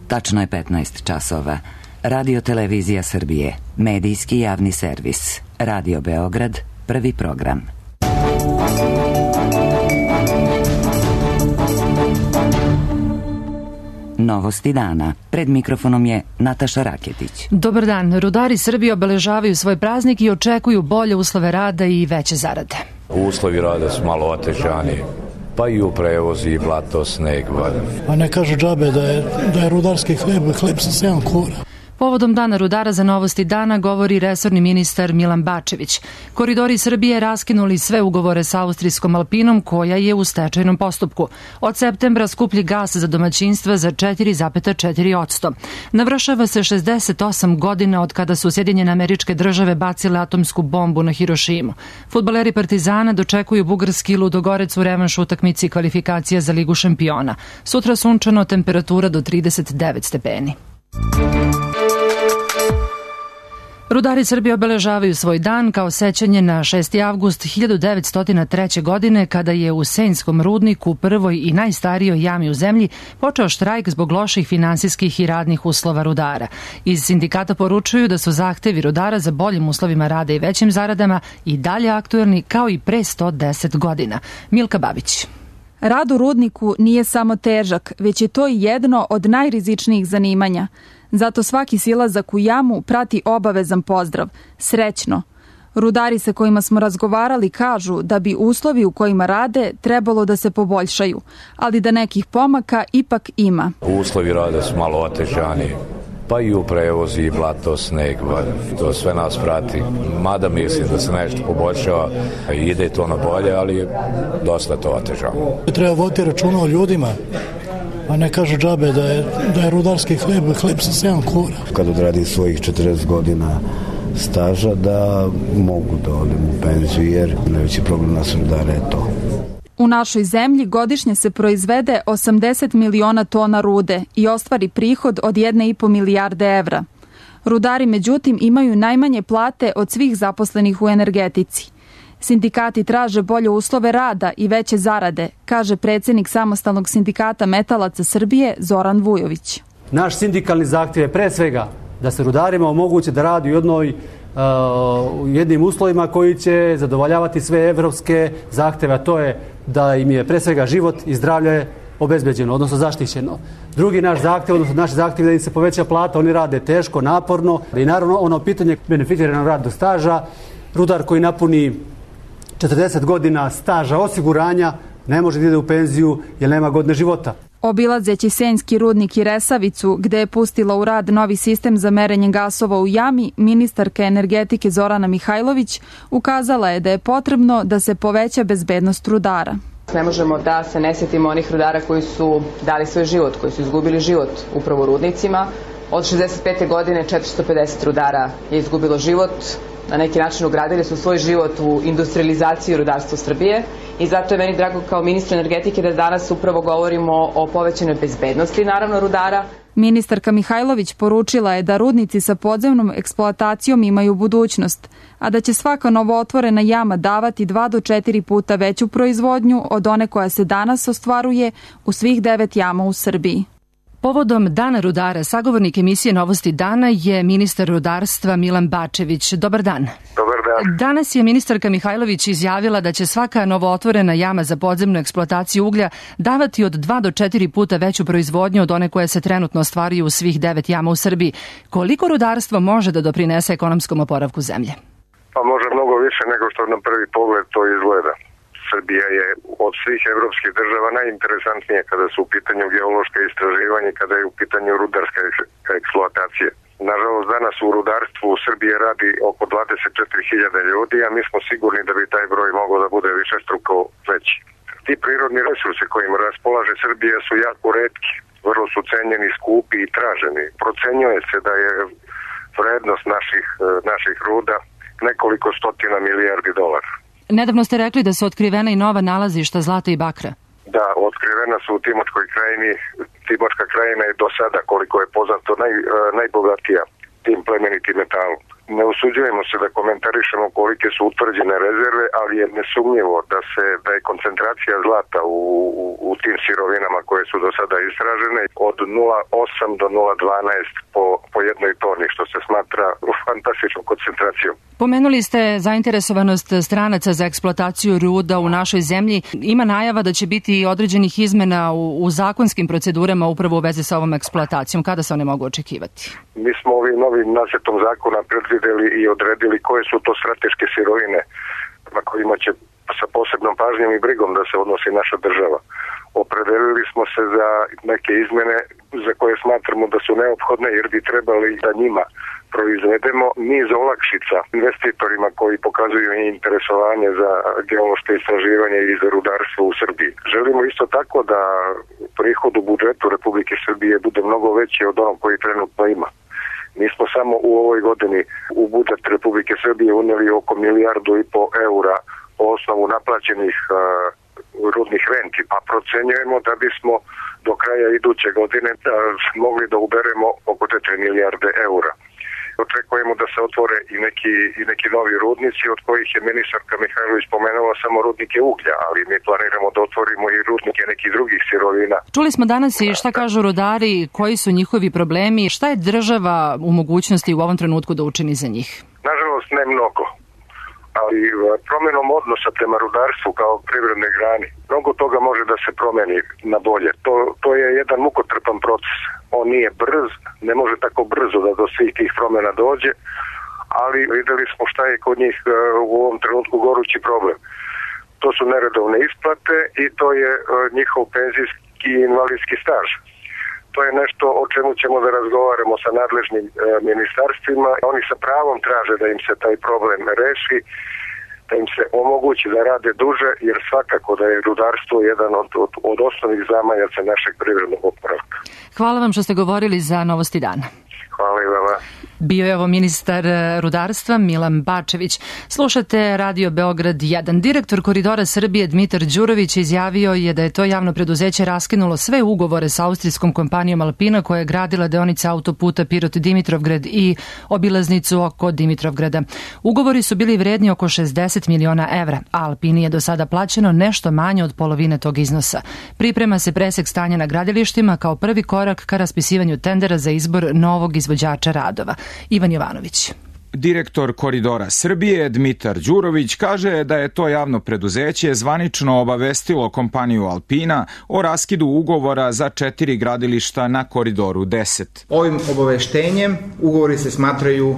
Tačno je 15 časova. Radio Televizija Srbije, medijski javni servis. Radio Beograd, prvi program. Novosti dana. Pred mikrofonom je Nataša Raketić. Dobar dan. Rudari Srbije obeležavaju svoj praznik i očekuju bolje uslove rada i veće zarade. Uslovi rada su malo otežani, pa i u prevozi, i blato, sneg. Pa ne kažu džabe da je rudarski hleb sa 7 kura. Povodom Dana rudara za Novosti dana govori resorni ministar Milan Bačević. Koridori Srbije raskinuli sve ugovore sa austrijskom Alpinom koja je u stečajnom postupku. Od septembra skuplji gas za domaćinstva za 4,4%. Navršava se 68 godina od kada su Sjedinjene Američke Države bacile atomsku bombu na Hirošimu. Fudbaleri Partizana dočekuju bugarski Ludogorec u revanš utakmici kvalifikacija za Ligu šampiona. Sutra sunčano, temperatura do 39 stepeni. Rudari Srbije obeležavaju svoj dan kao sećanje na 6. avgust 1903. godine kada je u Senjskom rudniku, prvoj i najstarijoj jami u zemlji, počeo štrajk zbog loših finansijskih i radnih uslova rudara. Iz sindikata poručuju da su zahtevi rudara za boljim uslovima rada i većim zaradama i dalje aktuelni kao i pre 110 godina. Milka Babić. Rad u rudniku nije samo težak, već je to i jedno od najrizičnijih zanimanja. Zato svaki silazak u jamu prati obavezan pozdrav. Srećno! Rudari sa kojima smo razgovarali kažu da bi uslovi u kojima rade trebalo da se poboljšaju, ali da nekih pomaka ipak ima. Uslovi rada su malo otežani, pa i u prevozi, i blato, sneg. To sve nas prati. Mada mislim da se nešto poboljšava i ide to na bolje, ali dosta to otežano. Treba voditi računa o ljudima. A ne kažu džabe da je rudarski hleb sa 7 kura. Kad odradim svojih 40 godina staža da mogu da odem u penziju jer najveći problem nas rudara je to. U našoj zemlji godišnje se proizvede 80 miliona tona rude i ostvari prihod od 1,5 milijarde evra. Rudari međutim imaju najmanje plate od svih zaposlenih u energetici. Sindikati traže bolje uslove rada i veće zarade, kaže predsjednik Samostalnog sindikata metalaca Srbije Zoran Vujović. Naš sindikalni zahtjev je pre svega da se rudarima omogući da radi u jednim uslovima koji će zadovoljavati sve evropske zahtjeve, a to je da im je pre svega život i zdravlje obezbeđeno, odnosno zaštićeno. Drugi naš zahtjev, odnosno naš zahtjev da im se poveća plata, oni rade teško, naporno i naravno ono pitanje beneficiranog radnog staža, rudar koji napuni 40 godina staža osiguranja ne može da ide u penziju jer nema godine života. Obilazeći Senjski rudnik i Resavicu, gde je pustila u rad novi sistem za merenje gasova u jami, ministarka energetike Zorana Mihajlović ukazala je da je potrebno da se poveća bezbednost rudara. Ne možemo da se ne sjetimo onih rudara koji su dali svoj život, koji su izgubili život upravo u rudnicima. Od 65. godine 450 rudara je izgubilo život. Na neki način ugradili su svoj život u industrializaciju rudarstva Srbije i zato je meni drago kao ministru energetike da danas upravo govorimo o povećanoj bezbednosti, naravno, rudara. Ministarka Mihajlović poručila je da rudnici sa podzemnom eksploatacijom imaju budućnost, a da će svaka novootvorena jama davati 2 do 4 puta veću proizvodnju od one koja se danas ostvaruje u svih 9 jama u Srbiji. Povodom Dana rudara, sagovornik emisije Novosti dana je ministar rudarstva Milan Bačević. Dobar dan. Dobar dan. Danas je ministarka Mihajlović izjavila da će svaka novootvorena jama za podzemnu eksploataciju uglja davati od 2 do 4 puta veću proizvodnju od one koje se trenutno ostvaruju u svih 9 jama u Srbiji. Koliko rudarstvo može da doprinese ekonomskom oporavku zemlje? Pa može mnogo više nego što na prvi pogled to izgleda. Srbija je od svih evropskih država najinteresantnija kada su u pitanju geološke istraživanja, kada je u pitanju rudarska eksploatacija. Nažalost, danas u rudarstvu u Srbiji radi oko 24.000 ljudi, a mi smo sigurni da bi taj broj mogao da bude višestruko veći. Ti prirodni resursi kojima raspolaže Srbija su jako retki, vrlo su cenjeni, skupi i traženi. Procenjuje se da je vrednost naših ruda nekoliko stotina milijardi dolara. Nedavno ste rekli da su otkrivena i nova nalazišta zlata i bakra. Da, otkrivena su u Timočkoj krajini. Timočka krajina je do sada, koliko je poznato, najbogatija tim plemenitim metalom. Ne usuđujemo se da komentarišemo kolike su utvrđene rezerve, ali je nesumnjivo da je koncentracija zlata u tim sirovinama koje su do sada istražene od 0,8 do 0,12 po jednoj toni, što se smatra fantastičnom koncentracijom. Pomenuli ste zainteresovanost stranaca za eksploataciju ruda u našoj zemlji. Ima najava da će biti određenih izmena u zakonskim procedurama upravo u vezi sa ovom eksploatacijom. Kada se one mogu očekivati? Mi smo ovim novim nacrtom zakona predvideli i odredili koje su to strateške sirovine na kojima će sa posebnom pažnjom i brigom da se odnosi naša država. Opredelili smo se za neke izmene za koje smatramo da su neophodne jer bi trebali da njima proizvedemo niz olakšica investitorima koji pokazuju interesovanje za geološke istraživanje i za rudarstvo u Srbiji. Želimo isto tako da prihod u budžetu Republike Srbije bude mnogo veći od onog koji trenutno ima. Mi smo samo u ovoj godini u budžet Republike Srbije uneli oko 1,5 milijardu eura po osnovu naplaćenih rudnih renti, a procenjujemo da bismo do kraja iduće godine mogli da uberemo oko 4 milijarde eura. Očekujemo da se otvore i neki novi rudnici, od kojih je ministarka Mihajlović pomenula samo rudnike uglja, ali mi planiramo da otvorimo i rudnike nekih drugih sirovina. Čuli smo danas i šta kažu rudari, koji su njihovi problemi, šta je država u mogućnosti u ovom trenutku da učini za njih? Nažalost, ne mnogo, ali promjenom odnosa prema rudarstvu kao privrednoj grani, mnogo toga može da se promeni na bolje. To je jedan mukotrpan proces. On nije brz, ne može tako brzo da do svih tih promjena dođe, ali videli smo šta je kod njih u ovom trenutku gorući problem. To su neredovne isplate i to je njihov penzijski i invalidski staž. To je nešto o čemu ćemo da razgovaramo sa nadležnim ministarstvima. Oni sa pravom traže da im se taj problem reši, da im se omogući da rade duže, jer svakako da je rudarstvo jedan od osnovnih zamajaca našeg privrednog oporavka. Hvala vam što ste govorili za Novosti dana. Hvala i vama. Bio je ovo ministar rudarstva Milan Bačević. Slušate Radio Beograd 1. Direktor Koridora Srbije Dmitar Đurović izjavio je da je to javno preduzeće raskinulo sve ugovore sa austrijskom kompanijom Alpina koja je gradila deonice autoputa Pirot-Dimitrovgrad i obilaznicu oko Dimitrovgrada. Ugovori su bili vredni oko 60 miliona evra, a Alpini je do sada plaćeno nešto manje od polovine tog iznosa. Priprema se presek stanja na gradilištima kao prvi korak ka raspisivanju tendera za izbor novog izvođača radova. Ivan Jovanović. Direktor Koridora Srbije Dmitar Đurović kaže da je to javno preduzeće zvanično obavestilo kompaniju Alpina o raskidu ugovora za 4 gradilišta na Koridoru 10. Ovim obaveštenjem ugovori se smatraju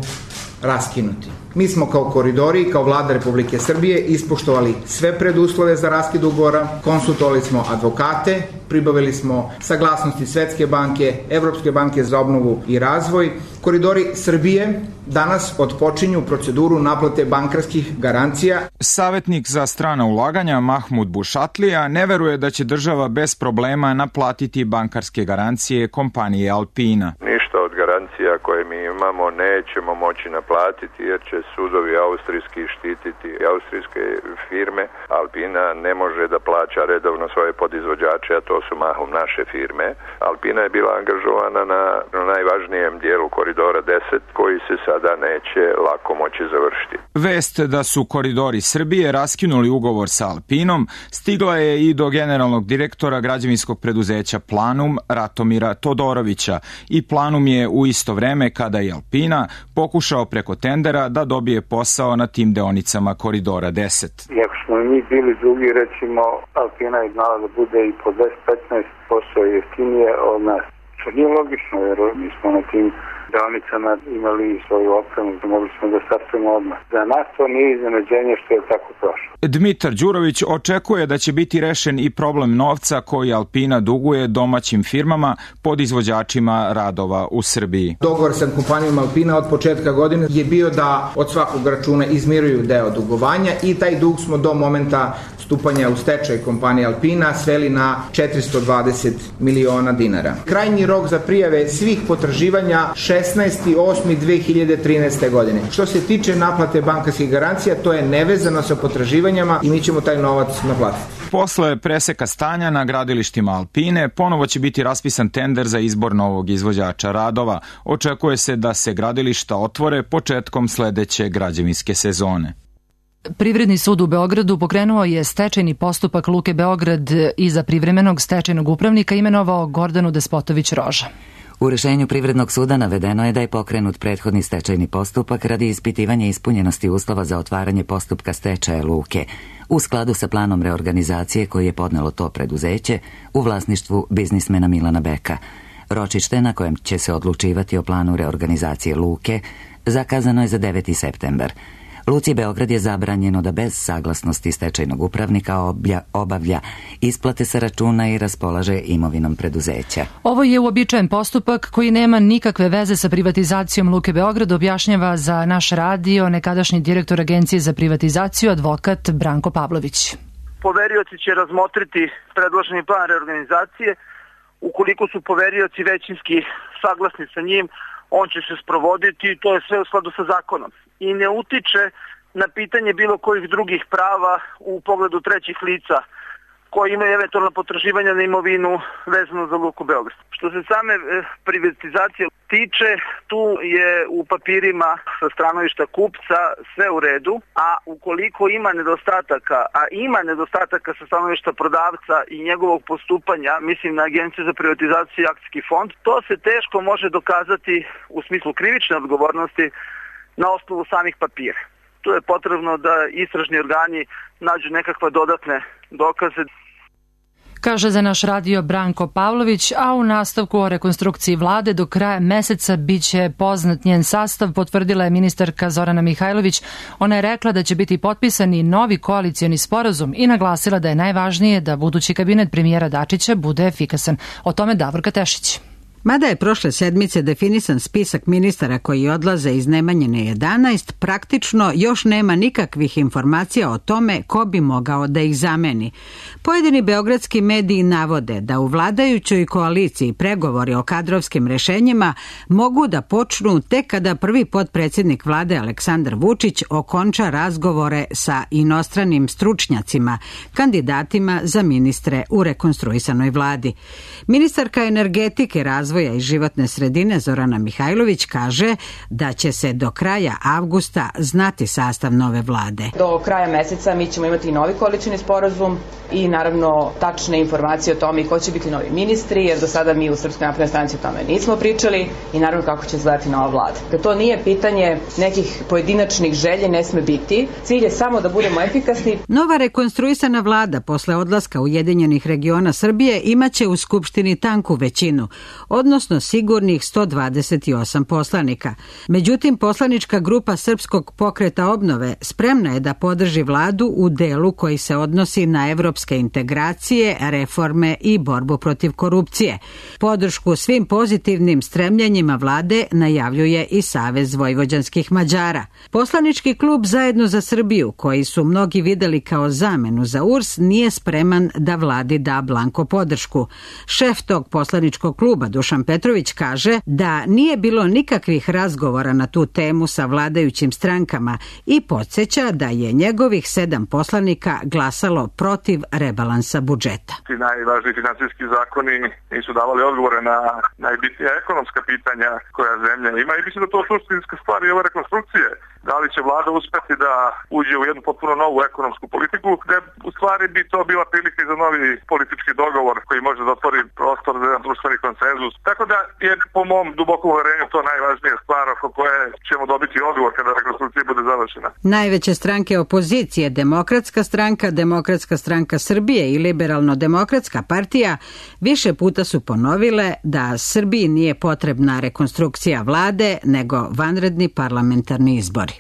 raskinuti. Mi smo kao koridori i kao Vlada Republike Srbije ispoštovali sve preduslove za raskid ugovora, konsultovali smo advokate, pribavili smo saglasnosti Svetske banke, Evropske banke za obnovu i razvoj. Koridori Srbije danas otpočinju proceduru naplate bankarskih garancija. Savjetnik za strana ulaganja Mahmud Bušatlija ne veruje da će država bez problema naplatiti bankarske garancije kompanije Alpina. Ništa od garancija koje mi imamo nećemo moći naplatiti jer će sudovi austrijski štititi austrijske firme. Alpina ne može da plaća redovno svoje podizvođače, a to su mahom naše firme. Alpina je bila angažovana na najvažnijem dijelu Koridora 10 koji se sada neće lako moći završiti. Vest da su Koridori Srbije raskinuli ugovor sa Alpinom stigla je i do generalnog direktora građevinskog preduzeća Planum Ratomira Todorovića i Planum je u isto vreme kada je Alpina pokušao preko tendera da dobije posao na tim deonicama Koridora 10. Iako smo mi bili drugi, recimo Alpina je znala da bude i po 10-15% jeftinije od nas. Što nije logično jer mi smo na tim deonicama imali svoju opremu, mogli smo da startujemo odmah. Za nas to nije iznenađenje što je tako prošlo. Dmitar Đurović očekuje da će biti rešen i problem novca koji Alpina duguje domaćim firmama pod izvođačima radova u Srbiji. Dogovor sa kompanijom Alpina od početka godine je bio da od svakog računa izmiruju deo dugovanja i taj dug smo do momenta stupanja u stečaj kompanije Alpina sveli na 420 miliona dinara. Krajnji rok za prijave svih potraživanja 16.8.2013. godine. Što se tiče naplate bankarskih garancija, to je nevezano sa potraživanjima i mi ćemo taj novac naplatiti. Posle preseka stanja na gradilištima Alpine, ponovo će biti raspisan tender za izbor novog izvođača radova. Očekuje se da se gradilišta otvore početkom sledeće građevinske sezone. Privredni sud u Beogradu pokrenuo je stečajni postupak Luke Beograd i za privremenog stečajnog upravnika imenovao Gordanu Despotović-Roža. U rešenju Privrednog suda navedeno je da je pokrenut prethodni stečajni postupak radi ispitivanja ispunjenosti uslova za otvaranje postupka stečaja Luke u skladu sa planom reorganizacije koji je podnelo to preduzeće u vlasništvu biznismena Milana Beka. Ročište na kojem će se odlučivati o planu reorganizacije Luke zakazano je za 9. septembar. Luci Beograd je zabranjeno da bez saglasnosti stečajnog upravnika obavlja isplate sa računa i raspolaže imovinom preduzeća. Ovo je uobičajen postupak koji nema nikakve veze sa privatizacijom Luke Beograd, objašnjava za naš radio nekadašnji direktor Agencije za privatizaciju, advokat Branko Pavlović. Poverioci će razmotriti predloženi plan reorganizacije. Ukoliko su poverioci većinski saglasni sa njim, on će se sprovoditi i to je sve u skladu sa zakonom. I ne utiče na pitanje bilo kojih drugih prava u pogledu trećih lica koji imaju eventualno potraživanja na imovinu vezano za Luku Beograd. Što se same privatizacije tiče, tu je u papirima sa stanovišta kupca sve u redu, a ukoliko ima nedostataka, a ima nedostataka sa stanovišta prodavca i njegovog postupanja, mislim na Agenciju za privatizaciju i akcijski fond, to se teško može dokazati u smislu krivične odgovornosti na osnovu samih papira. Tu je potrebno da istražni organi nađu nekakve dodatne dokaze. Kaže za naš radio Branko Pavlović, a u nastavku o rekonstrukciji vlade do kraja meseca biće poznat njen sastav, potvrdila je ministarka Zorana Mihajlović. Ona je rekla da će biti potpisan i novi koalicioni sporazum i naglasila da je najvažnije da budući kabinet premijera Dačića bude efikasan. O tome Davorka Tešić. Mada je prošle sedmice definisan spisak ministara koji odlaze iz Nemanjine 11, praktično još nema nikakvih informacija o tome ko bi mogao da ih zameni. Pojedini beogradski mediji navode da u vladajućoj koaliciji pregovori o kadrovskim rešenjima mogu da počnu tek kada prvi potpredsjednik vlade Aleksandar Vučić okonča razgovore sa inostranim stručnjacima, kandidatima za ministre u rekonstruisanoj vladi. Ministarka energetike, razvoja i životne sredine Zorana Mihajlović kaže da će se do kraja avgusta znati sastav nove vlade. Do kraja meseca mi ćemo imati novi koalicioni sporazum i naravno tačne informacije o tome ko će biti novi ministri, jer do sada mi u Srpskoj naprednoj stranci o tome nismo pričali, i naravno kako će izgledati nova vlada. To nije pitanje nekih pojedinačnih želje, ne sme biti. Cilj je samo da budemo efikasni. Nova rekonstruisana vlada posle odlaska Ujedinjenih regiona Srbije imaće u Skupštini tanku većinu, odnosno sigurnih 128 poslanika. Međutim, poslanička grupa Srpskog pokreta obnove spremna je da podrži vladu u delu koji se odnosi na evropske integracije, reforme i borbu protiv korupcije. Podršku svim pozitivnim stremljenjima vlade najavljuje i Savez vojvođanskih Mađara. Poslanički klub Zajedno za Srbiju, koji su mnogi videli kao zamenu za URS, nije spreman da vladi da blanko podršku. Šef tog poslaničkog kluba, Dušan Petrović, kaže da nije bilo nikakvih razgovora na tu temu sa vladajućim strankama i podsjeća da je njegovih 7 poslanika glasalo protiv rebalansa budžeta. Ti najvažniji finansijski zakoni nisu davali odgovore na najbitnija ekonomska pitanja koja zemlja ima i mislim da to suštinska stvar i ove rekonstrukcije. Da li će vlada uspeti da uđe u jednu potpuno novu ekonomsku politiku, gde u stvari bi to bila prilika za novi politički dogovor koji može da otvori prostor za jedan društveni konsenzus. Tako da je po mom dubokom uverenju to najvažnija stvar oko koje ćemo dobiti odgovor kada rekonstrukcija bude završena. Najveće stranke opozicije, Demokratska stranka, Demokratska stranka Srbije i Liberalno-demokratska partija više puta su ponovile da Srbiji nije potrebna rekonstrukcija vlade, nego vanredni parlamentarni izbori.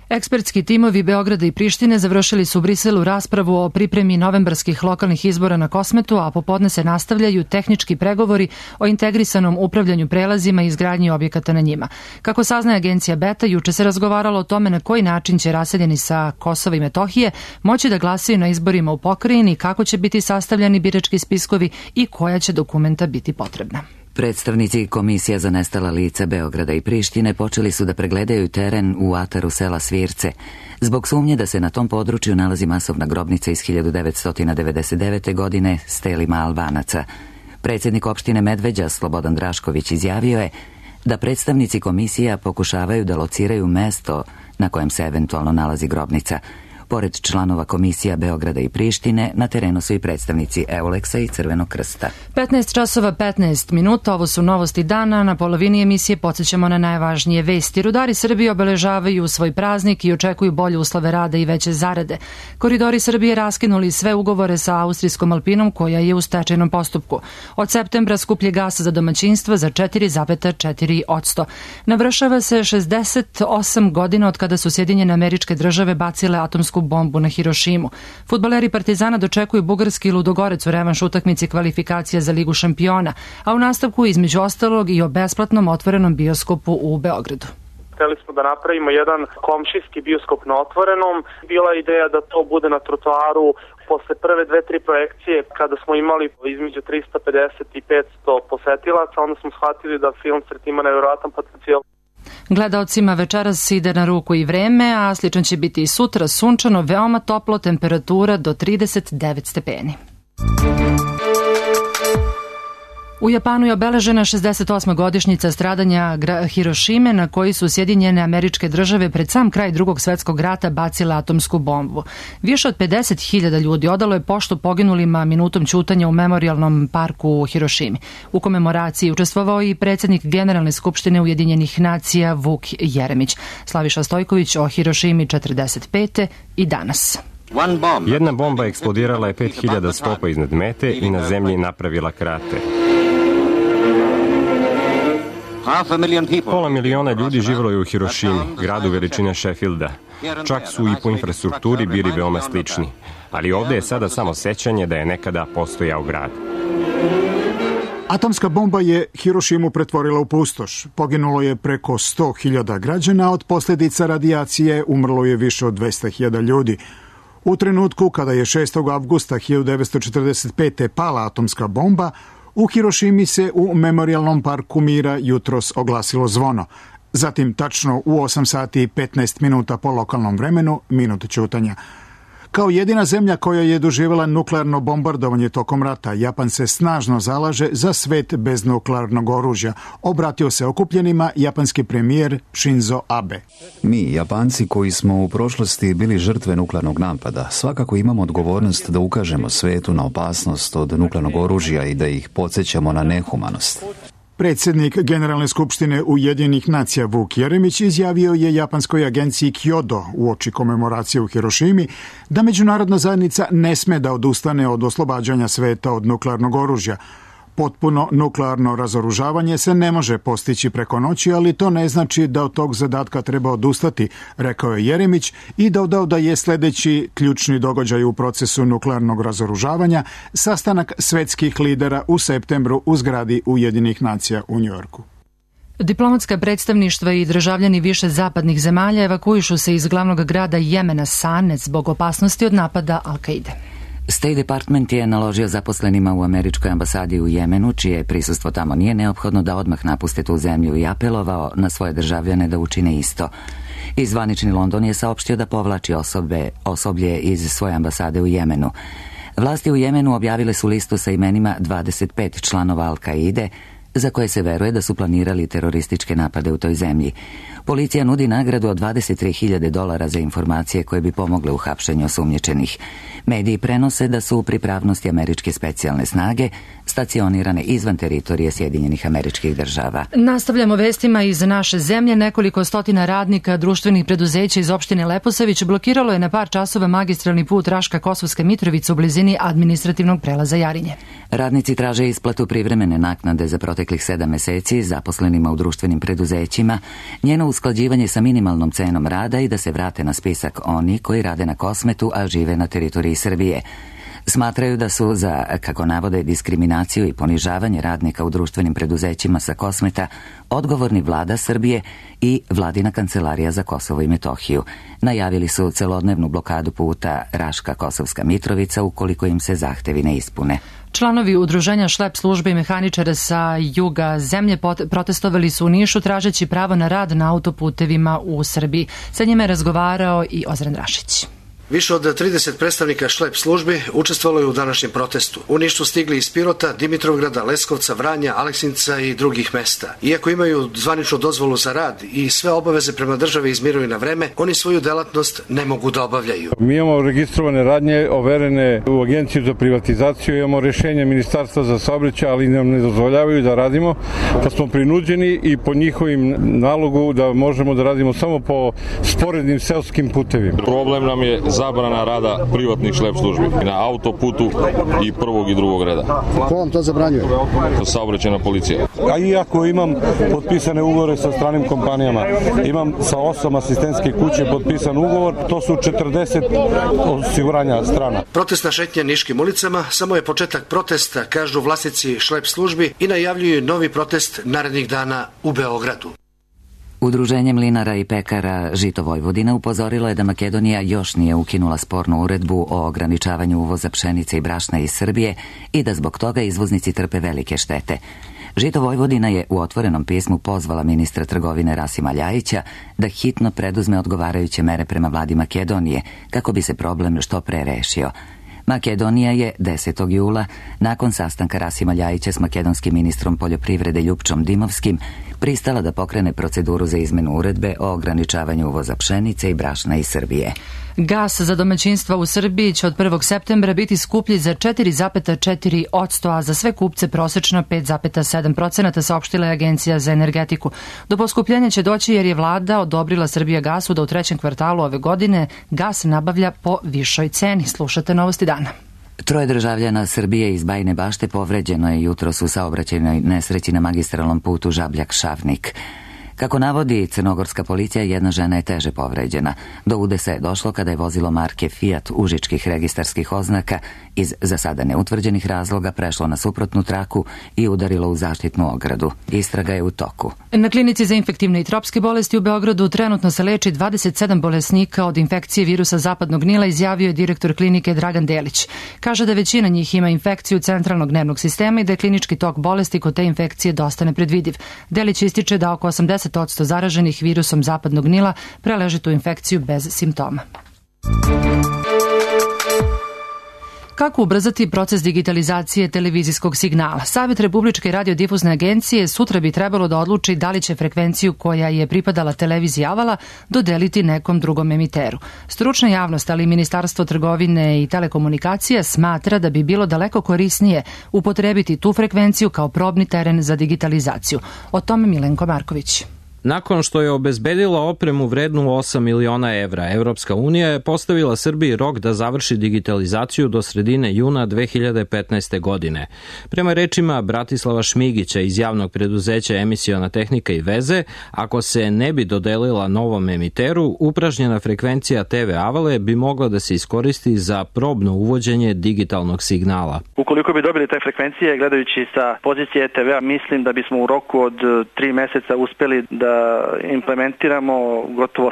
Ekspertski timovi Beograda i Prištine završili su u Briselu raspravu o pripremi novembarskih lokalnih izbora na Kosmetu, a popodne se nastavljaju tehnički pregovori o integrisanom upravljanju prelazima i izgradnji objekata na njima. Kako saznaje agencija Beta, juče se razgovaralo o tome na koji način će raseljeni sa Kosova i Metohije moći da glasaju na izborima u pokrajini, kako će biti sastavljani birački spiskovi i koja će dokumenta biti potrebna. Predstavnici Komisija za nestala lica Beograda i Prištine počeli su da pregledaju teren u ataru sela Svirce, zbog sumnje da se na tom području nalazi masovna grobnica iz 1999. godine s telima Albanaca. Predsjednik opštine Medveđa, Slobodan Drašković, izjavio je da predstavnici komisija pokušavaju da lociraju mesto na kojem se eventualno nalazi grobnica. Pored članova komisija Beograda i Prištine, na terenu su i predstavnici Euleksa i Crvenog krsta. 15 časova 15 minuta, ovo su novosti dana. Na polovini emisije podsjećamo na najvažnije vesti. Rudari Srbije obeležavaju svoj praznik i očekuju bolje uslove rada i veće zarade. Koridori Srbije raskinuli sve ugovore sa austrijskom Alpinom, koja je u stečajnom postupku. Od septembra skuplje gasa za domaćinstva za 4,4%. Navršava se 68 godina od kada su Sjedinjene Američke Države bacile atomsku bombu na Hirošimu. Fudbaleri Partizana dočekuju bugarski Ludogorec u revanš utakmici kvalifikacija za Ligu šampiona, a u nastavku između ostalog i o besplatnom otvorenom bioskopu u Beogradu. Hteli smo da napravimo jedan komšijski bioskop na otvorenom. Bila je ideja da to bude na trotoaru. Posle prve 2-3 projekcije, kada smo imali između 350 i 500 posetilaca, onda smo shvatili da film Sret ima nevjerojatan potencijal. Gledaocima večeras ide na ruku i vreme, a slično će biti i sutra, sunčano, veoma toplo, temperatura do 39 stepeni. U Japanu je obeležena 68. godišnjica stradanja Hirošime, na koji su Sjedinjene Američke Države pred sam kraj Drugog svjetskog rata bacile atomsku bombu. Više od 50.000 ljudi odalo je poštu poginulima minutom ćutanja u memorijalnom parku u Hirošimi. U komemoraciji učestvovao i predsjednik Generalne skupštine Ujedinjenih nacija Vuk Jeremić. Slaviša Stojković o Hirošimi 45. i danas. Jedna bomba eksplodirala je 5000 stopa iznad mete i na zemlji napravila krater. Pola miliona ljudi živjelo je u Hirošimi, gradu veličine Sheffielda. Čak su i po infrastrukturi bili veoma slični. Ali ovdje je sada samo sećanje da je nekada postojao grad. Atomska bomba je Hirošimu pretvorila u pustoš. Poginulo je preko 100.000 građana, od posljedica radijacije umrlo je više od 200.000 ljudi. U trenutku kada je 6. avgusta 1945. pala atomska bomba, u Hirošimi se u Memorijalnom parku mira jutros oglasilo zvono. Zatim, tačno u 8 sati i 15 minuta po lokalnom vremenu, minut ćutanja. Kao jedina zemlja koja je doživjela nuklearno bombardovanje tokom rata, Japan se snažno zalaže za svet bez nuklearnog oružja. Obratio se okupljenima japanski premijer Shinzo Abe. Mi, Japanci koji smo u prošlosti bili žrtve nuklearnog napada, svakako imamo odgovornost da ukažemo svetu na opasnost od nuklearnog oružja i da ih podsjećamo na nehumanost. Predsjednik Generalne skupštine Ujedinjenih nacija Vuk Jeremić izjavio je japanskoj agenciji Kyodo uoči komemoracije u Hirošimi da međunarodna zajednica ne sme da odustane od oslobađanja sveta od nuklearnog oružja. Potpuno nuklearno razoružavanje se ne može postići preko noći, ali to ne znači da od tog zadatka treba odustati, rekao je Jeremić i dodao da je sljedeći ključni događaj u procesu nuklearnog razoružavanja sastanak svetskih lidera u septembru u zgradi Ujedinjenih nacija u Njujorku. Diplomatska predstavništva i državljani više zapadnih zemalja evakuišu se iz glavnog grada Jemena Sane zbog opasnosti od napada Al-Kaide. State Department je naložio zaposlenima u američkoj ambasadi u Jemenu, čije prisustvo tamo nije neophodno, da odmah napuste tu zemlju i apelovao na svoje državljane da učine isto. I zvanični London je saopštio da povlači osoblje iz svoje ambasade u Jemenu. Vlasti u Jemenu objavile su listu sa imenima 25 članova Al-Kaide, za koje se veruje da su planirali terorističke napade u toj zemlji. Policija nudi nagradu od $23.000 za informacije koje bi pomogle u hapšenju osumnjičenih. Mediji prenose da su u pripravnosti američke specijalne snage stacionirane izvan teritorije Sjedinjenih Američkih Država. Nastavljamo vestima iz naše zemlje. Nekoliko stotina radnika društvenih preduzeća iz opštine Leposavić blokiralo je na par časova magistralni put Raška-Kosovska Mitrovica u blizini administrativnog prelaza Jarinje. Radnici traže isplatu privremene naknade za proteklih 7 meseci zaposlenima u društvenim preduzećima, njeno usklađivanje sa minimalnom cenom rada i da se vrate na spisak oni koji rade na Kosmetu, a žive na teritoriji Srbije. Smatraju da su za, kako navode, diskriminaciju i ponižavanje radnika u društvenim preduzećima sa Kosmeta odgovorni vlada Srbije i vladina kancelarija za Kosovo i Metohiju. Najavili su celodnevnu blokadu puta Raška-Kosovska Mitrovica ukoliko im se zahtevi ne ispune. Članovi udruženja šlep službe i mehaničara sa juga zemlje protestovali su u Nišu tražeći pravo na rad na autoputevima u Srbiji. Sa njima je razgovarao i Ozren Rašić. Više od 30 predstavnika šlep službi učestvovalo je u današnjem protestu. U Niš su stigli iz Pirota, Dimitrovgrada, Leskovca, Vranja, Aleksinca i drugih mesta. Iako imaju zvaničnu dozvolu za rad i sve obaveze prema državi izmiruju na vreme, oni svoju delatnost ne mogu da obavljaju. Mi imamo registrovane radnje, overene u Agenciju za privatizaciju, imamo rješenje Ministarstva za saobraćaj, ali nam ne dozvoljavaju da radimo, pa smo prinuđeni i po njihovim nalogu da možemo da radimo samo po sporednim seoskim putevima. Problem nam je zabrana rada privatnih šlep službi na autoputu i prvog i drugog reda. Ko vam to zabranjuje? Saobraćajna policija. A iako imam potpisane ugovore sa stranim kompanijama, imam sa 8 asistentske kuće potpisan ugovor, to su 40 osiguranja strana. Protestna šetnja niškim ulicama samo je početak protesta, kažu vlasnici šlep službi i najavljuju novi protest narednih dana u Beogradu. Udruženje mlinara i pekara Žito Vojvodina upozorilo je da Makedonija još nije ukinula spornu uredbu o ograničavanju uvoza pšenice i brašna iz Srbije i da zbog toga izvoznici trpe velike štete. Žito Vojvodina je u otvorenom pismu pozvala ministra trgovine Rasima Ljajića da hitno preduzme odgovarajuće mere prema vladi Makedonije kako bi se problem što pre rešio. Makedonija je 10. jula, nakon sastanka Rasima Ljajića s makedonskim ministrom poljoprivrede Ljupčom Dimovskim, pristala da pokrene proceduru za izmenu uredbe o ograničavanju uvoza pšenice i brašna iz Srbije. Gas za domaćinstva u Srbiji će od 1. septembra biti skuplji za 4,4%, a za sve kupce prosečno 5,7%, saopštila je Agencija za energetiku. Do poskupljenja će doći jer je vlada odobrila Srbijagasu da u trećem kvartalu ove godine gas nabavlja po višoj ceni. Slušate Novosti dana. 3 državljana Srbije iz Bajine Bašte povređeno je jutros u saobraćajnoj nesreći na magistralnom putu Žabljak-Šavnik. Kako navodi crnogorska policija, jedna žena je teže povređena. Do udesa je došlo kada je vozilo marke Fiat užičkih registarskih oznaka iz za sada neutvrđenih razloga prešlo na suprotnu traku i udarilo u zaštitnu ogradu. Istraga je u toku. Na klinici za infektivne i tropske bolesti u Beogradu trenutno se leči 27 bolesnika od infekcije virusa zapadnog Nila, izjavio je direktor klinike Dragan Delić. Kaže da većina njih ima infekciju centralnog nervnog sistema i da je klinički tok bolesti kod te infekcije dosta nepredvidiv. Delić ističe da oko 80% zaraženih virusom zapadnog Nila preleži tu infekciju bez simptoma. Kako ubrzati proces digitalizacije televizijskog signala? Savjet Republičke radiodifuzne agencije sutra bi trebalo da odluči da li će frekvenciju koja je pripadala televiziji Avala dodeliti nekom drugom emiteru. Stručna javnost, ali i Ministarstvo trgovine i telekomunikacija smatra da bi bilo daleko korisnije upotrebiti tu frekvenciju kao probni teren za digitalizaciju. O tome Milenko Marković. Nakon što je obezbedila opremu vrednu 8 miliona evra, Evropska unija je postavila Srbiji rok da završi digitalizaciju do sredine juna 2015. godine. Prema rečima Bratislava Šmigića iz javnog preduzeća Emisiona tehnika i veze, ako se ne bi dodelila novom emiteru, upražnjena frekvencija TV Avale bi mogla da se iskoristi za probno uvođenje digitalnog signala. Ukoliko bi dobili te frekvencije, gledajući sa pozicije TV-a, mislim da bismo u roku od 3 meseca uspeli da implementiramo gotovo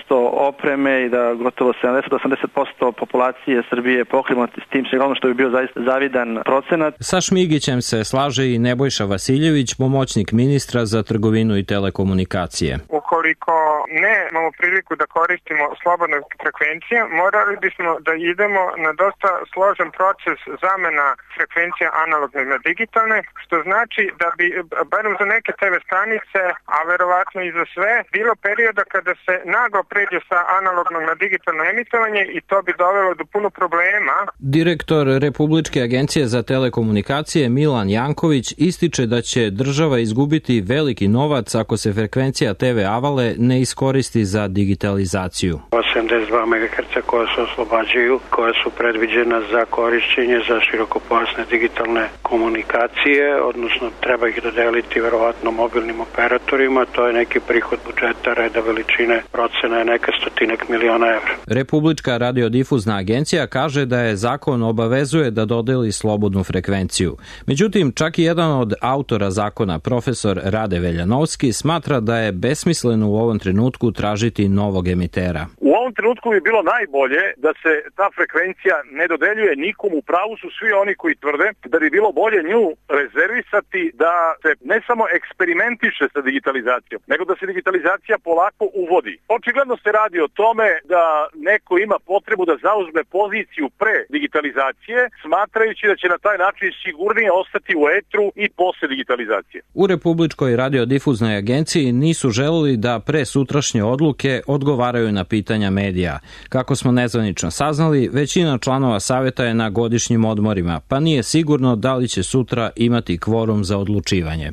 80% opreme i da gotovo 70-80% populacije Srbije pokrimo s tim signalom, što bi bio zaista zavidan procenat. Sa Šmigićem se slaže i Nebojša Vasiljević, pomoćnik ministra za trgovinu i telekomunikacije. Ukoliko ne imamo priliku da koristimo slobodne frekvencije, morali bismo da idemo na dosta složen proces zamena frekvencija analogne na digitalne, što znači da bi, barem za neke TV stanice, a verovatno i za sve, bilo perioda kada se naglo pređe sa analognog na digitalno emitovanje i to bi dovelo do puno problema. Direktor Republičke agencije za telekomunikacije Milan Janković ističe da će država izgubiti veliki novac ako se frekvencija TV preavale ne iskoristi za digitalizaciju. 82 MHz koja se oslobađaju, koja su predviđena za korišćenje za širokopojasne digitalne komunikacije, odnosno treba ih dodeliti verovatno mobilnim operatorima, to je neki prihod budžeta reda veličine procena je neka stotinak miliona evra. Republička radiodifuzna agencija kaže da je zakon obavezuje da dodeli slobodnu frekvenciju. Međutim, čak i jedan od autora zakona, profesor Rade Veljanovski, smatra da je besmisleno u ovom trenutku tražiti novog emitera. U ovom trenutku bi bilo najbolje da se ta frekvencija ne dodeljuje nikom. U pravu su svi oni koji tvrde da bi bilo bolje nju rezervisati, da se ne samo eksperimentiše sa digitalizacijom, nego da se digitalizacija polako uvodi. Očigledno se radi o tome da neko ima potrebu da zauzme poziciju pre digitalizacije, smatrajući da će na taj način sigurnije ostati u etru i posle digitalizacije. U Republičkoj radiodifuznoj agenciji nisu želeli da pre sutrašnje odluke odgovaraju na pitanja medija. Kako smo nezvanično saznali, većina članova saveta je na godišnjim odmorima, pa nije sigurno da li će sutra imati kvorum za odlučivanje.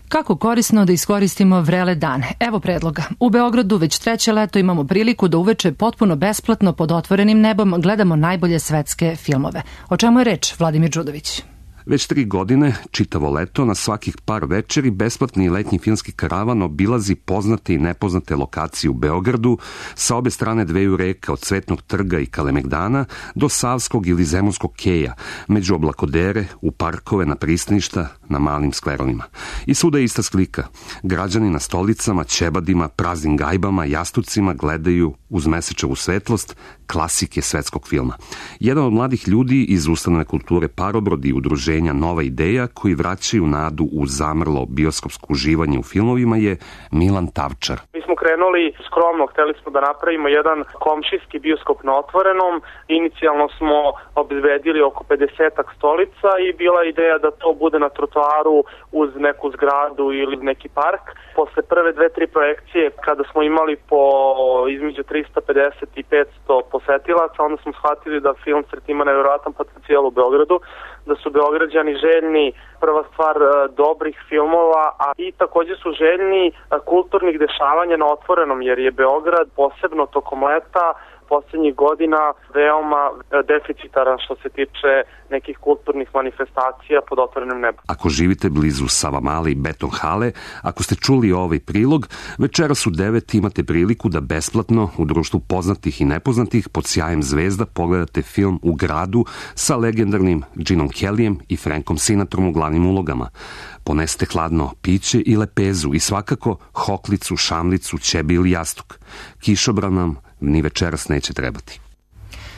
Kako korisno da iskoristimo vrele dane? Evo predloga. U Beogradu već treće leto imamo priliku da uveče potpuno besplatno pod otvorenim nebom gledamo najbolje svetske filmove. O čemu je reč, Vladimir Đudović? Već 3 godine, čitavo leto, na svakih par večeri, besplatni letnji filmski karavan obilazi poznate i nepoznate lokacije u Beogradu sa obe strane dveju reka, od Cvetnog trga i Kalemegdana do Savskog ili Zemunskog keja, među oblakodere, u parkove, na pristaništa, na malim sklerovima. I svuda je ista slika. Građani na stolicama, ćebadima, praznim gajbama, jastucima gledaju uz mesečevu svetlost klasike svetskog filma. Jedan od mladih ljudi iz ustanove kulture Parobrod i udruženja Nova ideja, koji vraćaju nadu u zamrlo bioskopsko uživanje u filmovima, je Milan Tavčar. Mi smo krenuli skromno, hteli smo da napravimo jedan komšijski bioskop na otvorenom. Inicijalno smo obezbedili oko 50 stolica i bila ideja da to bude na trotoaru uz neku zgradu ili neki park. Posle prve 2-3 projekcije, kada smo imali po između 350 i 500 posetilaca, onda smo shvatili da film Sret ima nevjerojatan potencijal u Beogradu, da su Beograđani željni, prva stvar, dobrih filmova, a i takođe su željni kulturnih dešavanja na otvorenom, jer je Beograd posebno tokom leta poslednjih godina veoma deficitaran što se tiče nekih kulturnih manifestacija pod otvorenim nebom. Ako živite blizu Savamale i Beton hale, ako ste čuli ovaj prilog, večeras u 9 imate priliku da besplatno u društvu poznatih i nepoznatih pod sjajem zvezda pogledate film U gradu sa legendarnim Genom Kellyjem i Frankom Sinatrom u glavnim ulogama. Ponesite hladno piće i lepezu i svakako hoklicu, šamlicu, ćebi ili jastuk. Kišobran nam ni večeras neće trebati.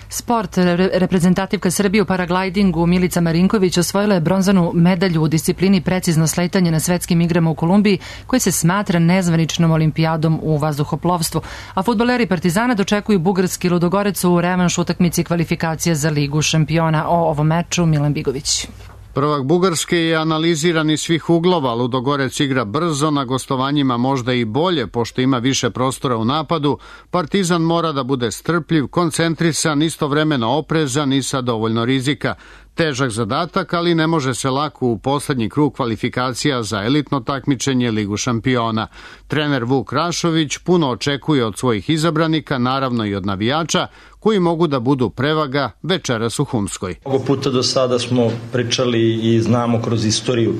Sport. Reprezentativka Srbije u paraglidingu Milica Marinković osvojila je bronzanu medalju u disciplini precizno sletanje na svetskim igrama u Kolumbiji, koje se smatra nezvaničnom olimpijadom u vazduhoplovstvu. A fudbaleri Partizana dočekuju bugarski Ludogorec u revanš utakmici kvalifikacija za Ligu šampiona. O ovom meču Milan Bigović. Prvak Bugarske je analiziran iz svih uglova. Ludogorec igra brzo, na gostovanjima možda i bolje, pošto ima više prostora u napadu. Partizan mora da bude strpljiv, koncentrisan, istovremeno oprezan i sa dovoljno rizika. Težak zadatak, ali ne može se lako u poslednji krug kvalifikacija za elitno takmičenje Ligu šampiona. Trener Vuk Rašović puno očekuje od svojih izabranika, naravno i od navijača, koji mogu da budu prevaga večeras u Humskoj. Mnogo puta do sada smo pričali i znamo kroz istoriju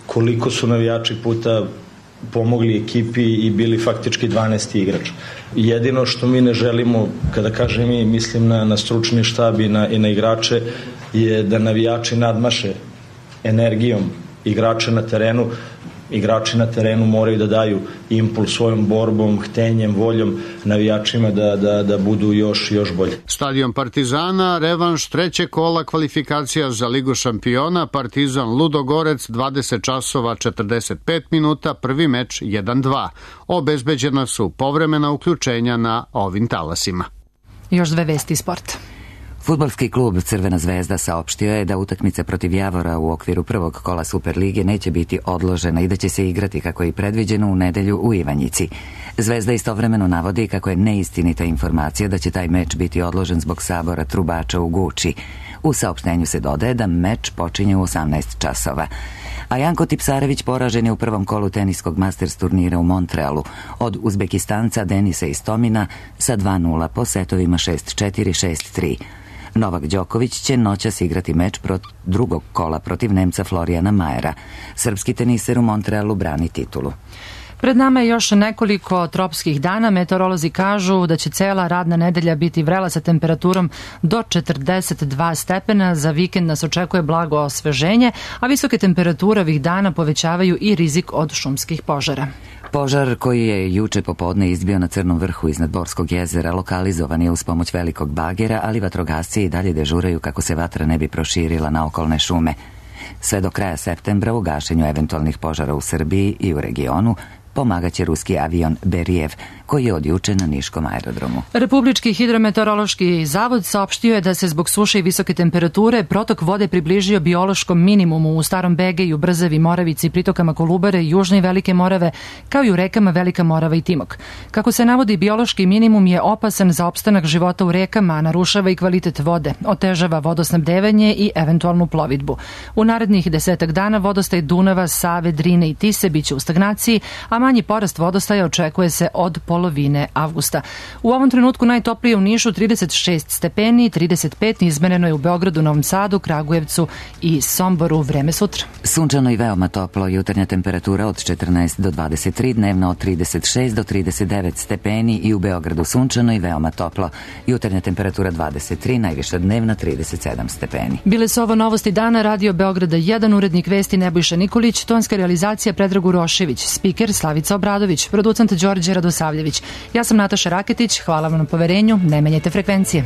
koliko su navijači puta pomogli ekipi i bili faktički 12. igrač. Jedino što mi ne želimo, kada kažem mi, mislim na stručni štab i na igrače, je da navijači nadmaše energijom igrača na terenu. Igrači na terenu moraju da daju impuls svojom borbom, htenjem, voljom navijačima da budu još bolje. Stadion Partizana, revanš trećeg kola kvalifikacija za Ligu šampiona, Partizan Ludogorec, 20 časova 45 minuta, prvi meč 1-2. Obezbeđena su povremena uključenja na ovim talasima. Još dve vesti sporta. Fudbalski klub Crvena zvezda saopštio je da utakmica protiv Javora u okviru prvog kola Superlige neće biti odložena i da će se igrati kako je i predviđeno u nedelju u Ivanjici. Zvezda istovremeno navodi kako je neistinita informacija da će taj meč biti odložen zbog sabora trubača u Guči. U saopštenju se dodaje da meč počinje u 18 časova. A Janko Tipsarević poražen je u prvom kolu teniskog Masters turnira u Montrealu od Uzbekistanca Denisa Istomina sa 2-0 po setovima 6-4, 6-3. Novak Đoković će noćas igrati meč drugog kola protiv Nemca Florijana Majera. Srpski teniser u Montrealu brani titulu. Pred nama je još nekoliko tropskih dana. Meteorolozi kažu da će cela radna nedelja biti vrela sa temperaturom do 42 stepena. Za vikend nas očekuje blago osveženje, a visoke temperature ovih dana povećavaju i rizik od šumskih požara. Požar koji je juče popodne izbio na Crnom vrhu iznad Borskog jezera lokalizovan je uz pomoć velikog bagera, ali vatrogasci i dalje dežuraju kako se vatra ne bi proširila na okolne šume. Sve do kraja septembra u gašenju eventualnih požara u Srbiji i u regionu pomagaće ruski avion Berijev, koji je od juče na Niškom aerodromu. Republički hidrometeorološki zavod saopštio je da se zbog suše i visoke temperature protok vode približio biološkom minimumu u Starom Begeju, Brzavi, Moravici, pritokama Kolubare, Južne i Velike Morave, kao i u rekama Velika Morava i Timok. Kako se navodi, biološki minimum je opasan za opstanak života u rekama, narušava i kvalitet vode, otežava vodosnabdevanje i eventualnu plovidbu. U narednih 10 dana vodostaj Dunava, Save, Drine i Tise biće u stagnaciji, a manji porast vodostaja očekuje se od polovine avgusta. U ovom trenutku najtoplije u Nišu 36 stepeni, 35 izmereno je u Beogradu, Novom Sadu, Kragujevcu i Somboru. Vreme sutra. Sunčano i veoma toplo, jutarnja temperatura od 14 do 23, dnevna od 36 do 39 stepeni i u Beogradu sunčano i veoma toplo. Jutarnja temperatura 23, najviša dnevna 37 stepeni. Bile su ovo novosti dana, Radio Beograda 1, urednik vesti Nebojša Nikolić, tonska realizacija Predrag Urošević, spiker Slavica Obradović, producent Đorđe Radosavljević. Ja sam Nataša Raketić, hvala vam na poverenju, ne menjajte frekvencije.